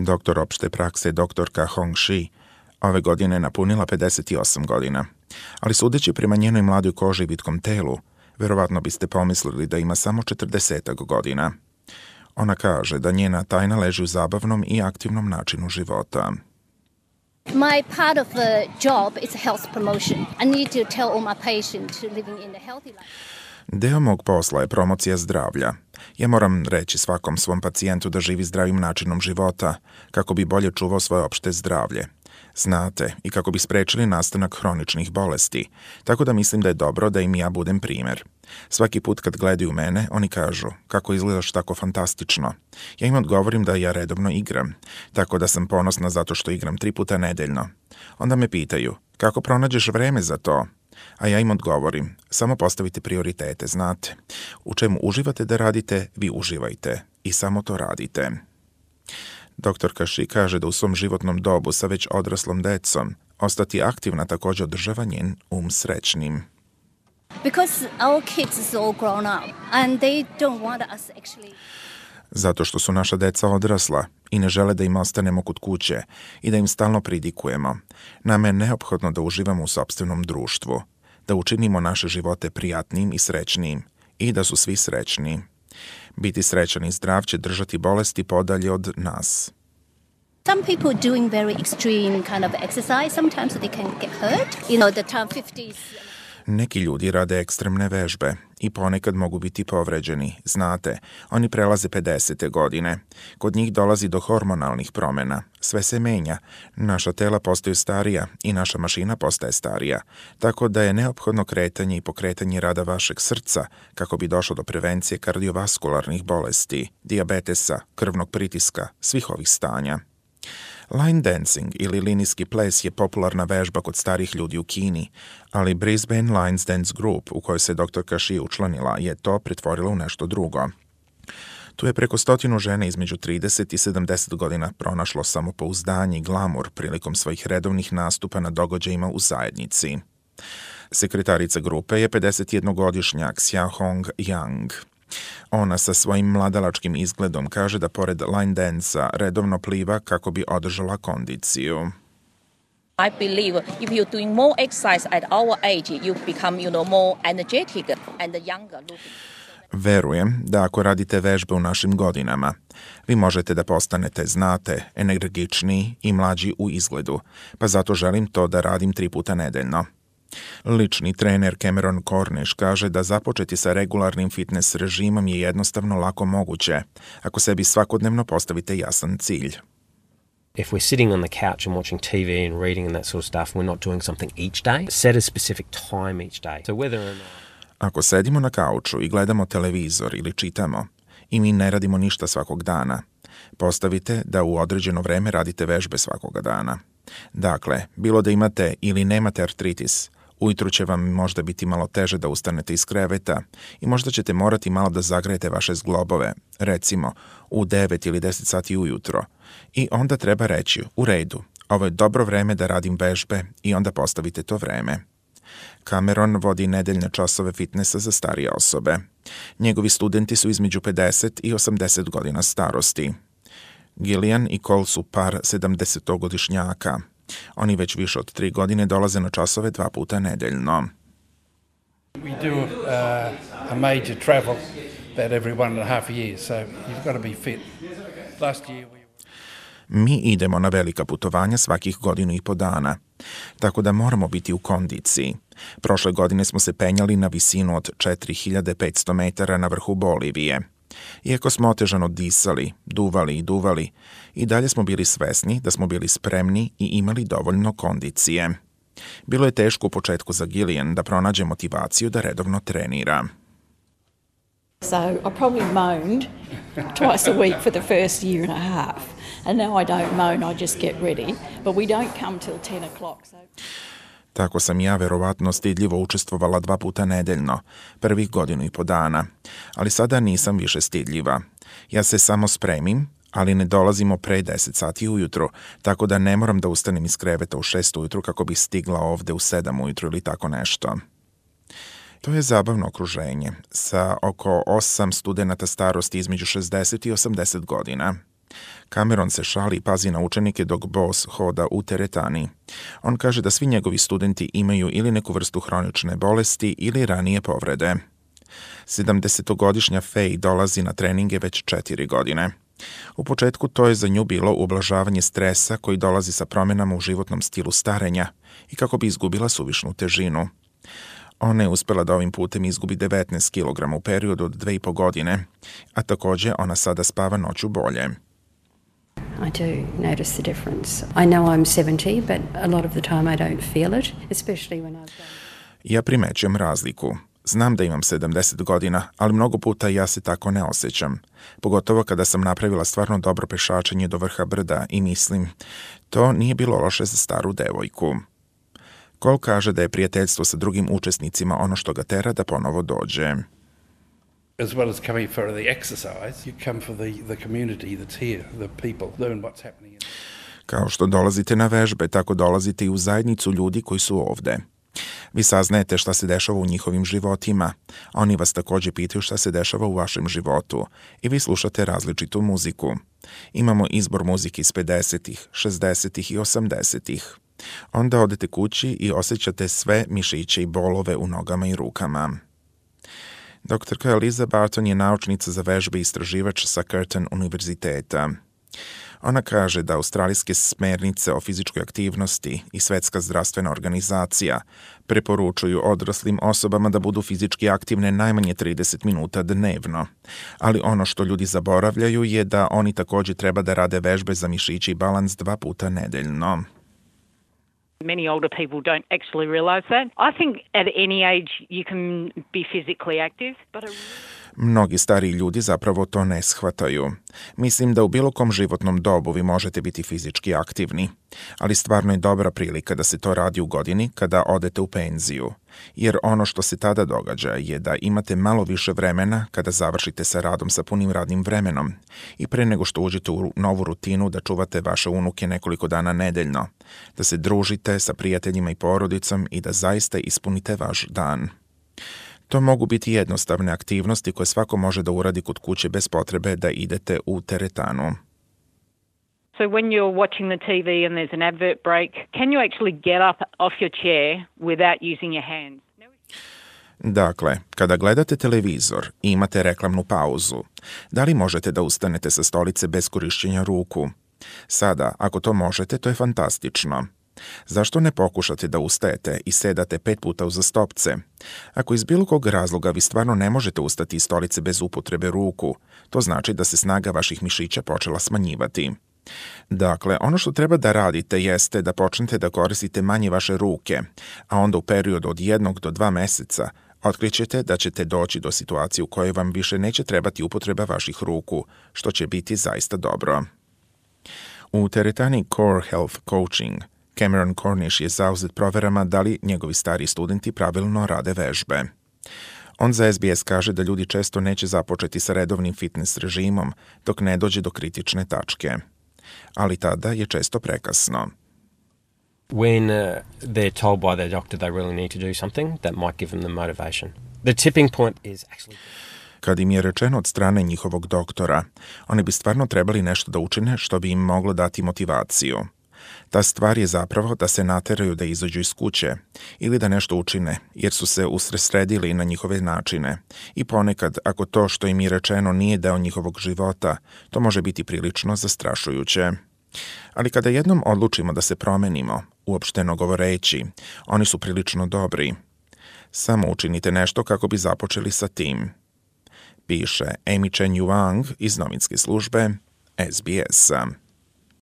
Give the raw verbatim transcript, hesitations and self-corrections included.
Doktor opšte prakse doktorka Hong Shi ove godine napunila pedeset osam godina, ali sudeći prema njenoj mladoj koži i vitkom telu, verovatno biste pomislili da ima samo četrdesetak godina. Ona kaže da njena tajna leži u zabavnom i aktivnom načinu života. My part of the job is health promotion. I need to tell all my patients living in a healthy life. Deo mog posla je promocija zdravlja. Ja moram reći svakom svom pacijentu da živi zdravim načinom života, kako bi bolje čuvao svoje opšte zdravlje. Znate, i kako bi sprečili nastanak hroničnih bolesti, tako da mislim da je dobro da im ja budem primer. Svaki put kad gledaju mene, oni kažu, kako izgledaš tako fantastično. Ja im odgovorim da ja redovno igram, tako da sam ponosna zato što igram tri puta nedeljno. Onda me pitaju, kako pronađeš vreme za to? A ja im odgovorim, samo postavite prioritete, znate. U čemu uživate da radite, vi uživajte i samo to radite. Doktorka Shi kaže da u svom životnom dobu sa već odraslom decom ostati aktivna također održava njen um srećnim. Because our kids is all grown up and they don't want us actually. Zato što su naša deca odrasla i ne žele da im ostanemo kod kuće i da im stalno pridikujemo. Nama je neophodno da uživamo u sopstvenom društvu, da učinimo naše živote prijatnim i srećnim i da su svi srećni. Biti srećan i zdrav će držati bolesti podalje od nas. Some people doing very extreme kind of exercise, sometimes they can get hurt. You know, the time fifties. Neki ljudi rade ekstremne vežbe i ponekad mogu biti povređeni. Znate, oni prelaze pedesete godine. Kod njih dolazi do hormonalnih promjena. Sve se menja. Naša tela postaju starija i naša mašina postaje starija. Tako da je neophodno kretanje i pokretanje rada vašeg srca kako bi došlo do prevencije kardiovaskularnih bolesti, dijabetesa, krvnog pritiska, svih ovih stanja. Line dancing ili linijski ples je popularna vežba kod starih ljudi u Kini, ali Brisbane Lines Dance Group, u kojoj se doktorka Shi učlanila, je to pretvorila u nešto drugo. Tu je preko stotinu žena između trideset i sedamdeset godina pronašlo samopouzdanje i glamur prilikom svojih redovnih nastupa na događajima u zajednici. Sekretarica grupe je pedesetjednogodišnjak Xia Hong Yang. Ona sa svojim mladalačkim izgledom kaže da pored line dansa redovno pliva kako bi održala kondiciju. I believe if you're doing more exercise at our age, you become, you know, more energetic and younger looking. Verujem da ako radite vežbe u našim godinama, vi možete da postanete, znate, energičniji i mlađi u izgledu, pa zato želim to da radim tri puta nedeljno. Lični trener Cameron Cornish kaže da započeti sa regularnim fitness režimom je jednostavno lako moguće, ako sebi svakodnevno postavite jasan cilj. If we're sitting on the couch and watching T V and reading and that sort of stuff, we're not doing something each day. Set a specific time each day. So whether or not... Ako sedimo na kauču i gledamo televizor ili čitamo i mi ne radimo ništa svakog dana, postavite da u određeno vreme radite vežbe svakoga dana. Dakle, bilo da imate ili nemate artritis, ujutru će vam možda biti malo teže da ustanete iz kreveta i možda ćete morati malo da zagrejete vaše zglobove, recimo u devet ili deset sati ujutro. I onda treba reći, u redu, ovo je dobro vreme da radim vežbe i onda postavite to vreme. Cameron vodi nedeljne časove fitnessa za starije osobe. Njegovi studenti su između pedeset i osamdeset godina starosti. Gillian i Cole su par sedamdesetogodišnjaka. Oni već više od tri godine dolaze na časove dva puta nedeljno. We do uh, a major travel about every one and a half years, so you've got to be fit. Last year we... Mi idemo na velika putovanja svakih godinu i po dana, tako da moramo biti u kondiciji. Prošle godine smo se penjali na visinu od četiri hiljade petsto metara na vrhu Bolivije. Iako smo otežano disali, duvali i duvali, i dalje smo bili svesni da smo bili spremni i imali dovoljno kondicije. Bilo je teško u početku za Gillian da pronađe motivaciju da redovno trenira. So I probably moaned twice a week for the first year and a half. And now I don't moan, I just get ready. But we don't come till ten o'clock. So... Tako sam ja verovatno stidljivo učestvovala dva puta nedeljno, prvih godinu i po dana, ali sada nisam više stidljiva. Ja se samo spremim, ali ne dolazimo pre deset sati ujutro, tako da ne moram da ustanem iz kreveta u šest ujutru kako bi stigla ovde u sedam ujutru ili tako nešto. To je zabavno okruženje, sa oko osam studenata starosti između šezdeset i osamdeset godina. Cameron se šali i pazi na učenike dok Boss hoda u teretani. On kaže da svi njegovi studenti imaju ili neku vrstu hronične bolesti ili ranije povrede. sedamdesetogodišnja Faye dolazi na treninge već četiri godine. U početku to je za nju bilo ublažavanje stresa koji dolazi sa promjenama u životnom stilu starenja i kako bi izgubila suvišnu težinu. Ona je uspjela da ovim putem izgubi devetnaest kilograma u periodu od dve i po godine, a također ona sada spava noću bolje. I do notice the difference. I know I'm seventy, but a lot of the time I don't feel it, especially when I've done... Ja primećujem razliku. Znam da imam sedamdeset godina, ali mnogo puta ja se tako ne osjećam. Pogotovo kada sam napravila stvarno dobro pešačenje do vrha brda i mislim, to nije bilo loše za staru devojku. Cole kaže da je prijateljstvo sa drugim učesnicima ono što ga tera da ponovo dođe. As well as coming for the exercise, you come for the, the community that's here, the people, learn what's happening. Kao što dolazite na vežbe, tako dolazite i u zajednicu ljudi koji su ovde. Vi saznajete šta se dešava u njihovim životima, a oni vas također pitaju šta se dešava u vašem životu i vi slušate različitu muziku. Imamo izbor muzike iz pedesetih, šezdesetih i osamdesetih. Onda odete kući i osjećate sve mišiće i bolove u nogama i rukama. Doktorka Eliza Barton je naučnica za vežbe i istraživač sa Curtin univerziteta. Ona kaže da australijske smernice o fizičkoj aktivnosti i Svetska zdravstvena organizacija preporučuju odraslim osobama da budu fizički aktivne najmanje trideset minuta dnevno. Ali ono što ljudi zaboravljaju je da oni također treba da rade vežbe za mišići i balans dva puta nedeljno. Many older people don't actually realize that. I think at any age you can be physically active, but a... Mnogi stariji ljudi zapravo to ne shvataju. Mislim da u bilo kom životnom dobu vi možete biti fizički aktivni, ali stvarno je dobra prilika da se to radi u godini kada odete u penziju, jer ono što se tada događa je da imate malo više vremena kada završite sa radom sa punim radnim vremenom i pre nego što uđete u novu rutinu da čuvate vaše unuke nekoliko dana nedeljno, da se družite sa prijateljima i porodicom i da zaista ispunite vaš dan. To mogu biti jednostavne aktivnosti koje svako može da uradi kod kuće bez potrebe da idete u teretanu. So when you're watching the T V and there's an advert break, can you actually get up off your chair without using your hands? Dakle, kada gledate televizor i imate reklamnu pauzu, da li možete da ustanete sa stolice bez korišćenja ruku? Sada, ako to možete, to je fantastično. Zašto ne pokušate da ustajete i sedate pet puta uzastopce? Ako iz bilo kog razloga vi stvarno ne možete ustati iz stolice bez upotrebe ruku, to znači da se snaga vaših mišića počela smanjivati. Dakle, ono što treba da radite jeste da počnete da koristite manje vaše ruke, a onda u periodu od jednog do dva meseca otkrićete da ćete doći do situacije u kojoj vam više neće trebati upotreba vaših ruku, što će biti zaista dobro. U teretani Core Health Coaching Cameron Cornish je zauzet proverama da li njegovi stari studenti pravilno rade vežbe. On za S B S kaže da ljudi često neće započeti sa redovnim fitness režimom dok ne dođe do kritične tačke. Ali tada je često prekasno. When uh, they're told by their doctor they really need to do something, that might give them the motivation. The tipping point is actually... Kad im je rečeno od strane njihovog doktora, oni bi stvarno trebali nešto da učine što bi im moglo dati motivaciju. Ta stvar je zapravo da se nateraju da izađu iz kuće ili da nešto učine, jer su se usredsredili na njihove načine. I ponekad, ako to što im je rečeno nije deo njihovog života, to može biti prilično zastrašujuće. Ali kada jednom odlučimo da se promenimo, uopšteno govoreći, oni su prilično dobri. Samo učinite nešto kako bi započeli sa tim. Piše Amy Chen Yuang iz novinske službe S B S-a.